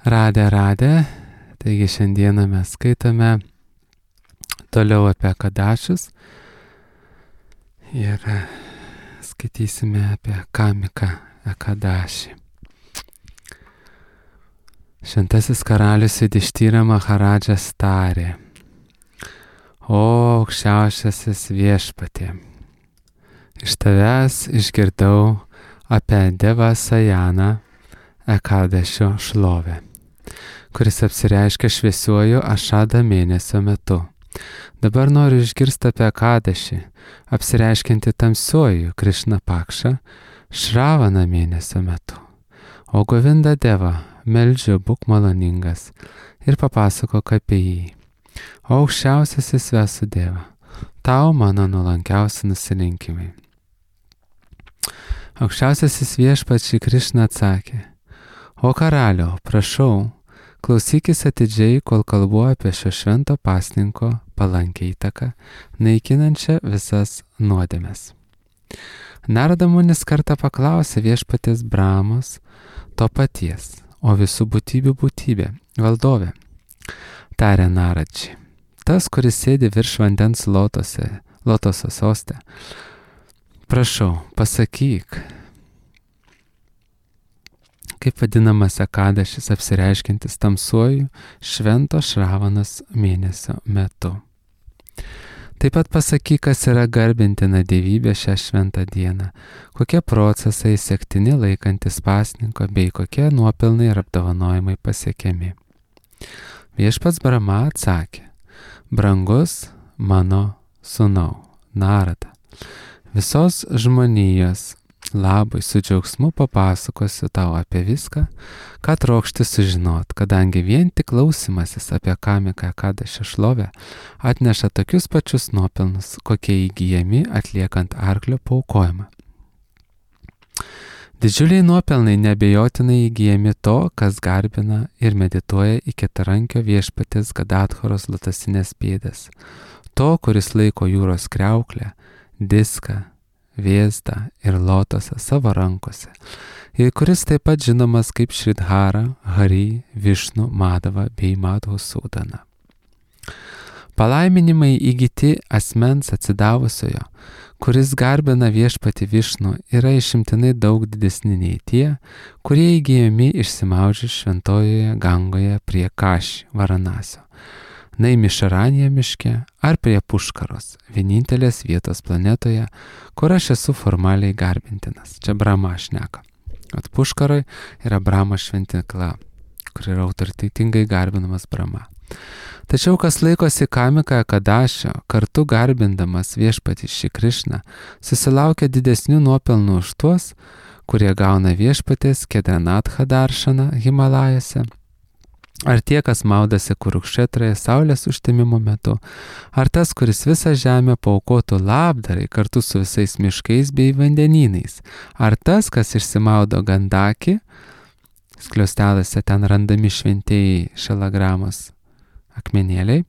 Radė. Taigi šiandieną mes skaitome toliau apie Kadašius ir skaitysime apie Kamiką Kadašį. Šventasis karalius Judištyra Maharadžas tarė: O aukščiausiasis viešpatie, iš tavęs išgirdau apie Devą Sajaną Kadašio šlovę, kuris apsireiškia šviesiuoju Ašada mėnesio metu. Dabar noriu išgirsti apie Kadašį, apsireiškinti tamsiuoju Krišna Pakša Šravana mėnesio metu. O Govinda Deva, meldžiu, būk maloningas ir papasakok apie jį. O aukščiausiasis Vasudeva, tau mano nuolankiausi nusilinkimai. Aukščiausiasis viešpats Šri Krišna atsakė: O karaliau, prašau, klausykis atidžiai, kol kalbu apie šio švento pasninko palankią įtaką, naikinančią visas nuodėmes. Narada Munis kartą paklausė viešpaties Brahmos to paties, o visų būtybių būtybė, valdovė. Tarė Naradžiai: tas, kuris sėdi virš vandens lotoso soste, prašau, pasakyk, kaip vadinamas Kadašis apsireiškintis tamsuoju švento Šravanos mėnesio metu. Taip pat pasakyk, kas yra garbintina dievybė šią šventą dieną, kokie procesai sektini laikantis pasninko bei kokie nuopelnai ir apdovanojimai pasiekiami. Viešpats Brahma atsakė: brangus mano sūnau Narada, visos žmonijos labui su džiaugsmu papasakosiu tau apie viską, ką trokšti sužinot, kadangi vien tik klausimasis apie Kamiką Kadašio šlovę atneša tokius pačius nuopelnus, kokie įgyjami atliekant arklio paaukojimą. Didžiuliai nuopelnai neabejotinai įgyjami to, kas garbina ir medituoja į keturankio viešpatės Gadadharos lotosinės pėdas, to, kuris laiko jūros kriauklę, diską, vėzdą ir lotosą savo rankose, ir kuris taip pat žinomas kaip Šridhara, Hari, Višnu, Madava bei Madhusudana. Palaiminimai įgyti asmens atsidavusiojo, kuris garbina viešpatį Višnu, yra išimtinai daug didesni nei tie, kurie įgyjami išsimaudžius šventojoje Gangoje prie Kaši, Varanasio, Naimišaranėje miške ar prie Puškaros, vienintelės vietos planetoje, kur aš esu formaliai garbintinas. Čia Brahma šneka. At Puškaroj yra Brahma šventykla, kur yra autoritetingai garbinamas Brahma. Tačiau kas laikosi Kamiką Kadašio, kartu garbindamas viešpatį Šri Krišną, susilaukia didesnių nuopelnų už tuos, kurie gauna viešpatės Kedranatha daršaną Himalajose, ar tie, kas maudasi Kurukšetroje saulės užtemimo metu, ar tas, kuris visą žemę paaukotų labdarai kartu su visais miškais bei vandenynais, ar tas, kas išsimaudo Gandaki, skliaustelėse ten randami šventieji šalagramos akmenėliai,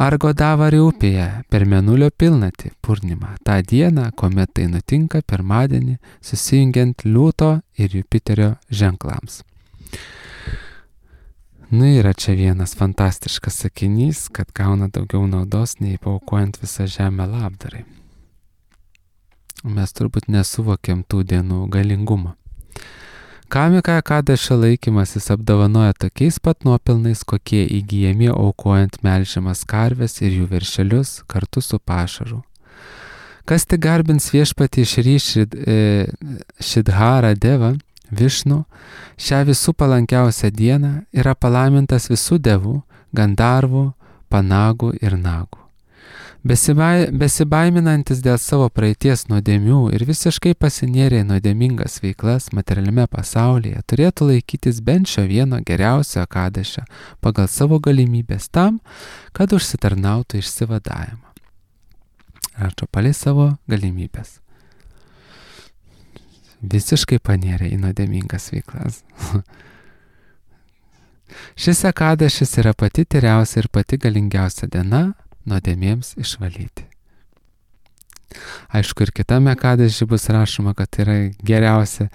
ar Godavari upėje per Mėnulio pilnatį Purnimą, tą dieną, kuomet tai nutinka pirmadienį, susijungiant Liūto ir Jupiterio ženklams. Yra čia vienas fantastiškas sakinys, kad gauna daugiau naudos nei paaukojant visą žemę labdarai. Mes turbūt nesuvokiam tų dienų galingumą. Kamiką Kadašio laikymasis apdovanoja tokiais pat nuopelnais, kokie įgyjami aukojant melžiamas karves ir jų veršelius kartu su pašaru. Kas tik garbins viešpatį Šri Šridhara Deva, Višnu, šią visų palankiausią dieną yra palaimintas visų devų, gandarvų, panagų ir nagų. Besibaiminantis dėl savo praeities nuodėmių ir visiškai pasinėrė į nuodėmingas veiklas materialiame pasaulyje, turėtų laikytis bent šio vieno geriausio Kadašio pagal savo galimybės tam, kad užsitarnautų išsivadavimą. Rašo palei savo galimybės. Visiškai panėrė į nuodėmingas veiklas. Šis Kadašis yra pati tyriausia ir pati galingiausia diena nuodėmėms išvalyti. Aišku, ir kitame Kadaši bus rašoma, kad tai yra geriausia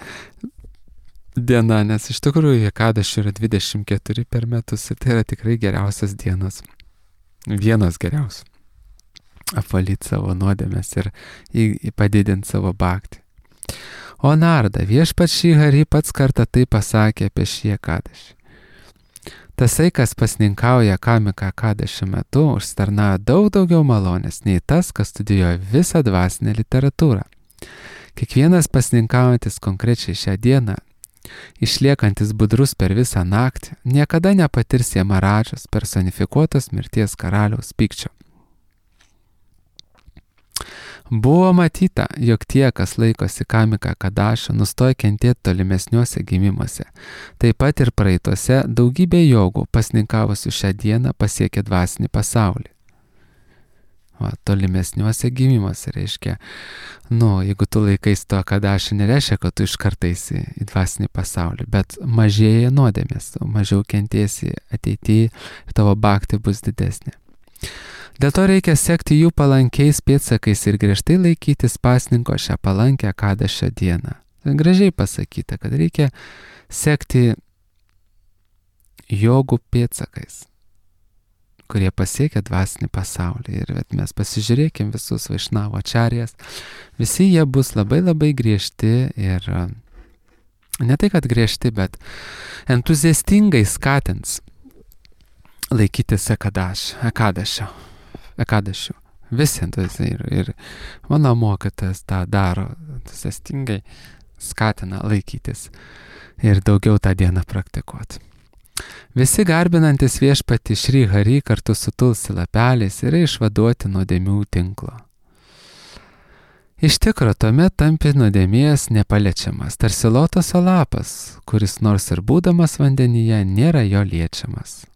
diena, nes iš tikrųjų Ekadešių yra 24 per metus ir tai yra tikrai geriausias dienos. Vienas geriausių. Apvalyti savo nuodėmes ir padidinti savo bhaktį. O Narda, viešpats Šri Hari pats kartą tai pasakė apie šį Ekadešį. Tasai, kas pasninkauja Kamika Ekadešio metu, užsitarnauja daug daugiau malonės nei tas, kas studijuoja visą dvasinę literatūrą. Kiekvienas pasninkaujantis konkrečiai šią dieną, išliekantis budrus per visą naktį, niekada nepatirs Jamaradžos personifikuotos mirties karaliaus pykčio. Buvo matyta, jog tie, kas laikosi Kamika Ekadešio, nustoja kentėti tolimesniuose gimimuose. Taip pat ir praeituose daugybė jogų pasninkavusių šią dieną pasiekė dvasinį pasaulį. Tolimesniuose gimimuose reiškia, jeigu tu laikais to Ekadešio, nereiškia, kad tu iš karto eisi į dvasinį pasaulį, bet mažėja nuodėmės, mažiau kentėsi ateityje ir tavo bhakti bus didesnė. Dėl to reikia sekti jų palankiais pėdsakais ir griežtai laikytis pasninko šią palankę Ekadešio dieną. Gražiai pasakyta, kad reikia sekti jogų pėdsakais, kurie pasiekia dvasinį pasaulį. Ir mes pasižiūrėkim visus Vaišnavo ačarijas, visi jie bus labai labai griežti ir ne tai, kad griežti, bet entuziastingai skatins laikytis Ekadešio. Visi ir mano mokytojas tą daro, entuziastingai skatina laikytis ir daugiau tą dieną praktikuoti. Visi garbinantis viešpatį Šri Hari kartu su tulsi lapeliais yra išvaduoti nuodėmių tinklo. Iš tikro, tuomet tampi nuodėmės nepaliečiamas, tarsi lotoso lapas, kuris nors ir būdamas vandenyje nėra jo liečiamas.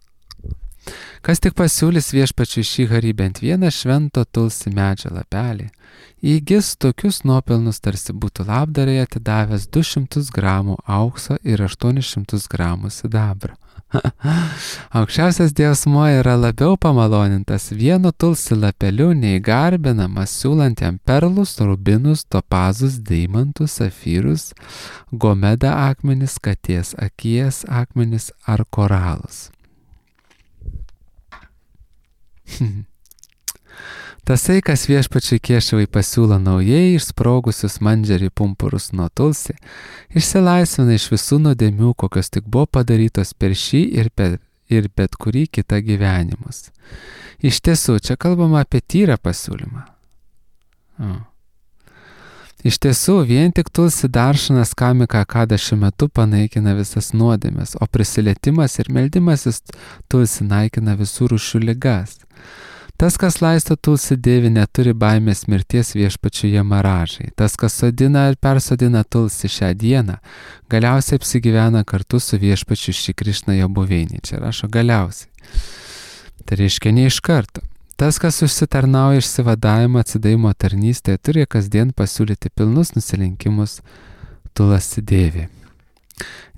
Kas tik pasiūlys viešpačiui Šri Hari bent vieną švento tulsi medžio lapelį, įgis tokius nuopelnus, tarsi būtų labdarai atidavęs 200 gramų aukso ir 800 gramų sidabro. Aukščiausias Dievasmuo yra labiau pamalonintas vienu tulsi lapeliu nei garbinamas siūlant jam perlus, rubinus, topazus, deimantus, safyrus, gomeda akmenis, katės akies akmenis ar koralus. Tasai, kas viešpačiui Kešavai pasiūlo naujai išsprogusius mandžerį pumpurus nuo tulsi, išsilaisvina iš visų nuodėmių, kokios tik buvo padarytos per šį ir bet kurį kitą gyvenimus. Iš tiesų, čia kalbama apie tyrą pasiūlymą. Iš tiesų, vien tik tulsi daršanas Kamika Ekadešio metu panaikina visas nuodėmes, o prisilietimas ir meldimasis tulsi naikina visų rūšių ligas. Tas, kas laisto tulsi devi, neturi baimės mirties viešpačiui Jamaradžai. Tas, kas sodina ir persodina tulsi šią dieną, galiausiai apsigyvena kartu su viešpačiu Šri Krišna jo buveinėje. Čia rašo galiausiai. Tai reiškia ne iš karto. Tas, kas užsitarnauja išsivadavimo atsidavimo tarnystėje, turi kasdien pasiūlyti pilnus nusilenkimus tulsi devi.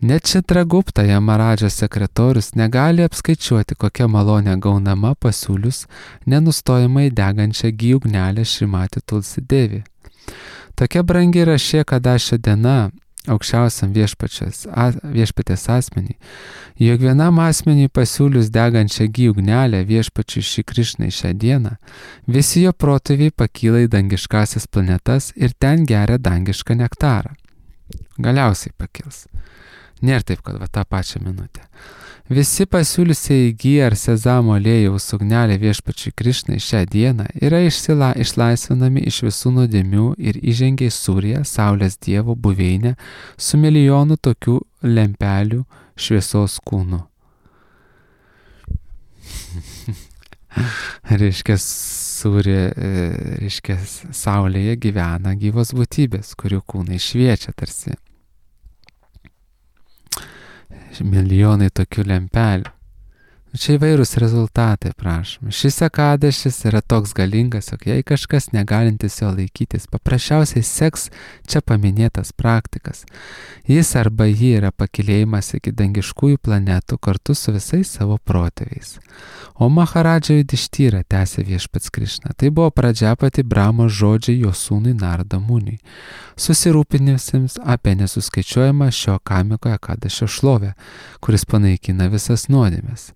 Net Čitragupta Jamaradžos sekretorius negali apskaičiuoti, kokia malonė gaunama pasiūlius nenustojamai degančią gyjų ugnelę Šrimati tulsi devi. Tokia brangi yra šie Ekadešio diena aukščiausiam viešpatės asmenį, jog vienam asmeniui pasiūlius degančią gyjų ugnelę viešpačiui Šri Krišnai šią dieną, visi jo protėviai pakyla į dangiškasias planetas ir ten geria dangišką nektarą. Galiausiai pakils. Nėra taip, kad tą pačią minutę. Visi pasiūliusiai gyjį ar sezamo aliejaus ugnelę viešpačiui Krišnai šią dieną yra išlaisvinami iš visų nuodėmių ir įžengia į Suriją, Saulės Dievo buveinę, su milijonu tokių lempelių šviesos kūnų. Reiškia, Saulėje gyvena gyvos būtybės, kurių kūnai šviečia tarsi milijonai tokių lempelių. Čia įvairūs rezultatai, prašom. Šis Ekadešis yra toks galingas, jog jei kažkas negalintis jo laikytis, paprasčiausiai seks čia paminėtas praktikas. Jis arba ji yra pakilėjimas iki dangiškųjų planetų kartu su visais savo protėviais. O Maharadža Judištyra, tęsė viešpats Krišna, tai buvo pradžia pati Brahmos žodžiai jo sūnui Narada Muniui, susirūpinusiems apie nesuskaičiuojamą šio Kamiko Ekadešio šlovę, kuris panaikina visas nuodėmes.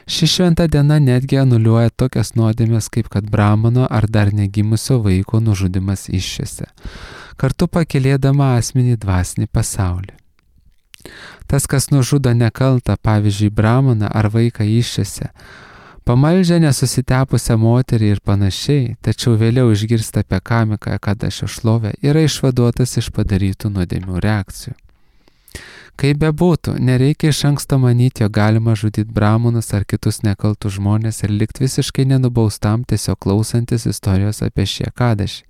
Ši šventa diena netgi anuliuoja tokias nuodėmes, kaip kad Brahmano ar dar negimusio vaiko nužudimas iššiose, kartu pakilėdama asmenį dvasinį pasaulį. Tas, kas nužudo nekaltą, pavyzdžiui, Brahmaną ar vaiką iššiose, pamaldžia nesusitepusią moterį ir panašiai, tačiau vėliau išgirsta apie Kamiką Ekadešio šlovę, yra išvaduotas iš padarytų nuodėmių reakcijų. Kaip bebūtų, nereikia iš anksto manyti, jog galima žudyti Brahmanus ar kitus nekaltus žmonės ir likti visiškai nenubaustam tiesiog klausantis istorijos apie šį Ekadešį.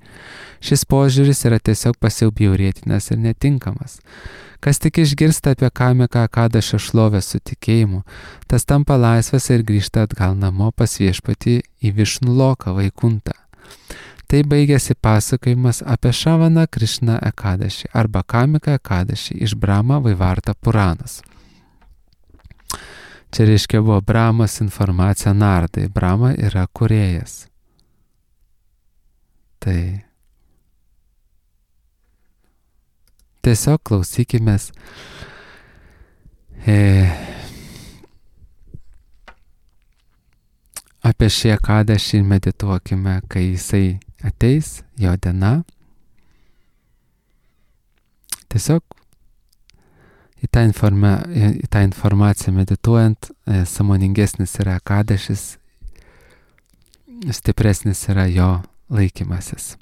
Šis požiūris yra tiesiog pasiaubjaurėtinas ir netinkamas. Kas tik išgirsta apie Kamiką Ekadešio šlovę su tikėjimu, tas tampa laisvas ir grįžta atgal namo pas viešpatį į Višnu Loką Vaikuntą. Tai baigėsi pasakojimas apie Šavana Krišna Ekadešį arba Kamiką Ekadešį iš Brahma Vaivarta Puranas. Čia reiškia buvo Brahmos informacija Nardai. Brahma yra kūrėjas. Tai tiesiog klausykimės apie šį Ekadešį ir medituokime, kai jisai ateis, jo diena. Tiesiog į tą informaciją medituojant, sąmoningesnis yra Ekadešis, stipresnis yra jo laikymasis.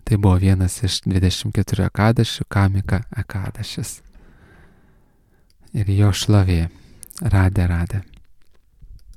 Tai buvo vienas iš 24 Ekadešių, Kamika Ekadešis. Ir jo šlovė. Radė.